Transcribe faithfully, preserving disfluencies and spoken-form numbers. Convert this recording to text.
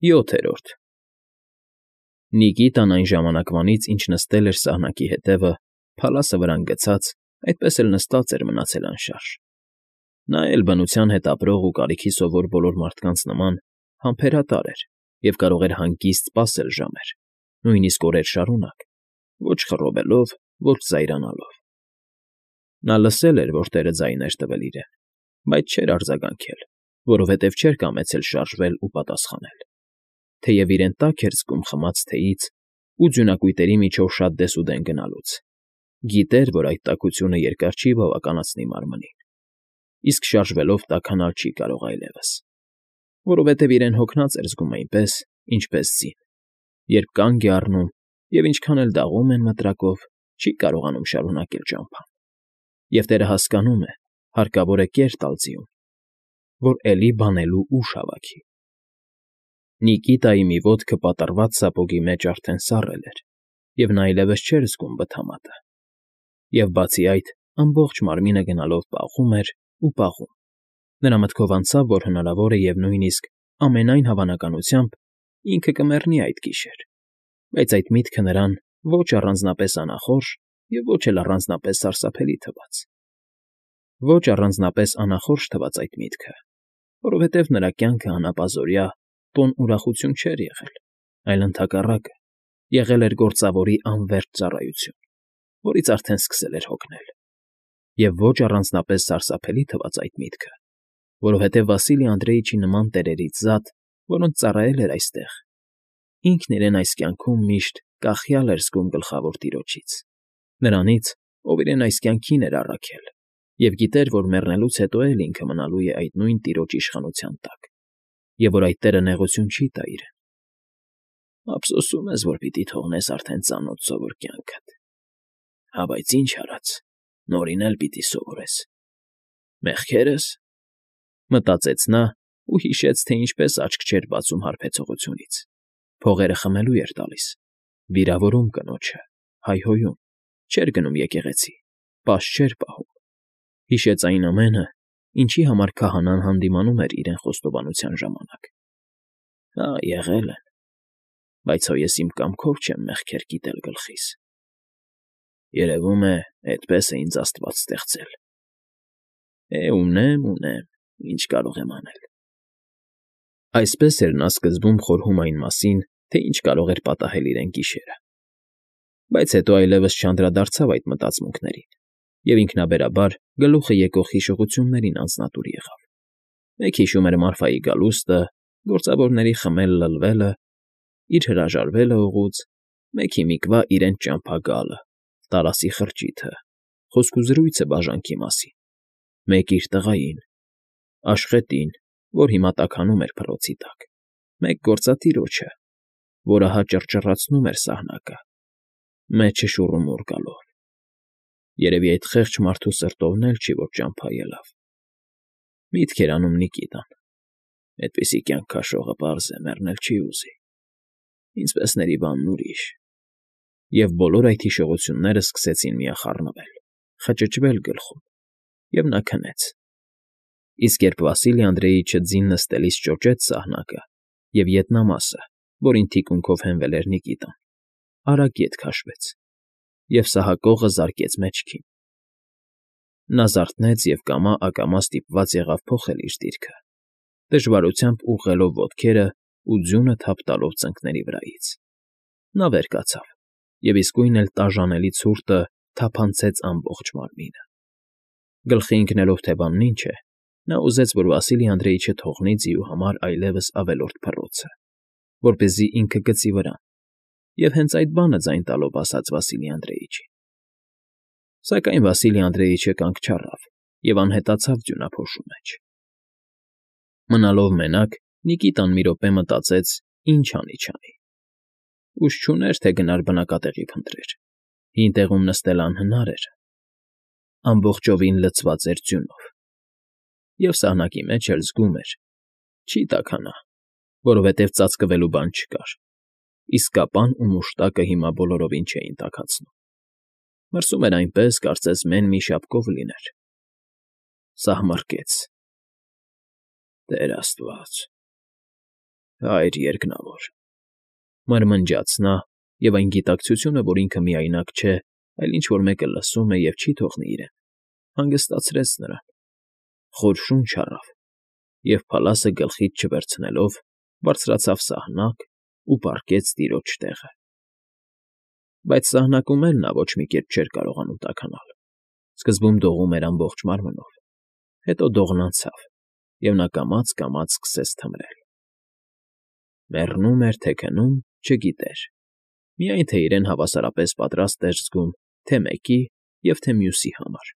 ՅՈԹԵՐՈՐԴ Նիկիտան այն ժամանակվանից, ինչ նստել էր սահնակի հետևը, փալասը վրան գցած, այդպես էլ նստած էր մնացել անշարժ. նա էլ, բնության հետ ապրող ու կարիքի սովոր բոլոր մարդկանց նման, համբերատար էր և կարող էր հանգիստ սպասել ժամեր, նույնիսկ օրեր շարունակ, ոչ խռովելով, ոչ զայրանալով. նա լսել էր, որ տերը ձայն էր տվել իրեն, բայց չէր արձագանքել, որովհետև չէր կամեցել շարժվել ու պատասխանել, թեև իրեն տաք էր զգում խմած թեյից ու ձյունակույտերի միջով շատ դեսուդեն գնալուց, գիտեր, որ այդ տաքությունը երկար չի բավականացնի մարմնին, իսկ շարժվելով տաքանալ չի կարող այլևս, որովհետև իրեն հոգնած էր զգում այնպես, ինչպես ձին, երբ կանգ է առնում և ինչքան էլ դաղում են մտրակով, չի կարողանում շարունակել ճամփան, և տերը հասկանում է, հարկավոր է կեր տալ ձիուն, որ էլի բանելու ուժ հավաքի։ Նիկիտայի մի ոտքը պատռված սապոգի մեջ արդեն սառել էր, և նա այլևս չէր զգում բթամատը, և, բացի այդ, ամբողջ մարմինը գնալով պաղում էր ու պաղում, նրա մտքով անցավ, որ հնարավոր է և նույնիսկ, ամենայն հավանականությամբ, ինքը կմեռնի այդ գիշեր, բայց այդ միտքը նրան ոչ առանձնապես անախորժ և ոչ էլ առանձնապես սարսափելի թվաց։ Ոչ առանձնապես անախորժ թվաց այդ միտքը, որովհետև նրա կյանքը անապազօրյա, տոն ուրախություն չէր եղել, այլ ընդհակառակը, եղել էր գործավորի անվերջ ծառայություն, որից արդեն սկսել էր հոգնել, և ոչ առանձնապես սարսափելի թվաց այդ միտքը, որովհետև Վասիլի Անդրեիչի նման տերերից զատ, որոնց ծառայել էր այստեղ, ինքն իրեն այս կյանքում միշտ կախյալ էր զգում Գլխավոր տիրոջից, նրանից, ով իրեն այս կյանքին էր առաքել և գիտեր, որ մեռնելուց հետո էլ ինքը մնալու է այդ նույն տիրոջ իշխանության տակ, և որ այդ տերը նեղություն չի տա իրեն։ Ափսոսում ես, որ պիտի թողնես արդեն ծանոթ սովոր կյանքդ, հա, բայց ինչ արած, նորին էլ պիտի սովորես։ Մեղքե՞րս,֊ մտածեց նա ու հիշեց, թե ինչպես աչք չէր բացում հարբեցողությունից, փողերը խմելու էր տալիս, վիրավորում կնոջը, հայհոյում, չէր գնում եկեղեցի, պաս չէր պահում, հիշեց այն ամենը, ինչի համար քահանան հանդիմանում էր իրեն խոստովանության ժամանակ։ Հա, եղել են, բայց հո ես իմ կամքով չեմ մեղքեր կիտել գլխիս, երևում է, էդպես է ինձ աստված ստեղծել։ Է, ունեմ, ունեմ, ինչ կարող եմ անել։ Այսպես էր նա սկզբում խորհում այն մասին, թե ինչ կարող էր պատահել իրեն գիշերը, բայց հետո այլևս չանդրադարձավ այդ մտածմունքներին և ինքնաբերաբար գլուխը եկող հիշողություններին անձնատուր եղավ։ Մեկ հիշում էր Մարֆայի գալուստը, գործավորների խմել֊լլվելը, իր հրաժարվելը օղուց, մեկ հիմիկվա իրենց ճամփա գալը, Տարասի խրճիթը, խոսքուզրույցը բաժանքի մասին, մեկ իր տղային, Աշխետին, որ հիմա տաքանում էր փռոցի տակ, մեկ գործատիրոջը, որ ահա ճռճռացնում էր սահնակը, մեջը շուռումուռ գալով։ Երևի այդ խեղճ մարդու սրտովն էլ չի, որ ճամփա ելավ։ Միտք էր անում Նիկիտան. «Էդպիսի կյանք քաշողը, պարզ է, մեռնել չի ուզի, ինձպեսների բանն ուրիշ»։ Եվ բոլոր այդ հիշողությունները սկսեցին միախառնվել, խճճվել գլխում, և նա քնեց։ Իսկ երբ Վասիլի Անդրեիչը ձին նստելիս ճոճեց սահնակը և ետնամասը, որին թիկունքով հենվել էր Նիկիտան, արագ ետ քաշվեց, և սահակողը զարկեց մեջքին։ Նա զարթնեց և կամա֊ակամա ստիպված եղավ փոխել իր դիրքը, դժվարությամբ ուղղելով ոտքերը ու ձյունը թափ տալով ծնկների վրայից։ Նա վեր կացավ, և իսկույն էլ տաժանելի ցուրտը թափանցեց ամբողջ մարմինը։ Գլխի ընկնելով, թե բանն ինչ է, նա ուզեց, որ Վասիլի Անդրեիչը թողնի ձիու համար այլևս ավելորդ փռոցը, որպեսզի ինքը գցի վրան, և հենց այդ բանը ձայն տալով ասաց Վասիլի Անդրեիչին։ Սակայն Վասիլի Անդրեիչը կանգ չառավ և անհետացավ ձյունափոշու մեջ։ Մնալով մենակ, Նիկիտան մի րոպե մտածեց, ինչ անի֊չանի։ Ուժ չուներ, թե գնար բնակատեղի փնտրեր, հին տեղում նստելն անհնար էր, ամբողջովին լցված էր ձյունով, և սահնակի մեջ էլ զգում էր՝ չի տաքանա, որովհետև ծածկվելու բան չկար, իսկ կապան ու մուշտակը հիմա բոլորովին չէին տաքացնում, մրսում էր այնպես, կարծես մեն մի շապկով լիներ։ Սահմռկեց. «Տեր աստված, Հայր երկնավոր,֊ մրմնջաց նա, և այն գիտակցությունը, որ ինքը միայնակ չէ, այլ ինչ֊որ մեկը լսում է և չի թողնի իրեն, հանգստացրեց նրան, խոր շունչ առավ և, փալասը գլխից չվերցնելով, բարձրացավ սահնակ ու պառկեց տիրոջ տեղը… Բայց սահնակում էլ նա ոչ մի կերպ չէր կարողանում տաքանալ. սկզբում դողում էր ամբողջ մարմնով, հետո դողն անցավ, և նա կամաց֊կամաց սկսեց թմրել… Մեռնո՞ւմ էր, թե քնում՝ չգիտեր, միայն թե իրեն հավասարապես պատրաստ էր զգում թե՛ մեկի և թե՛ մյուսի համար։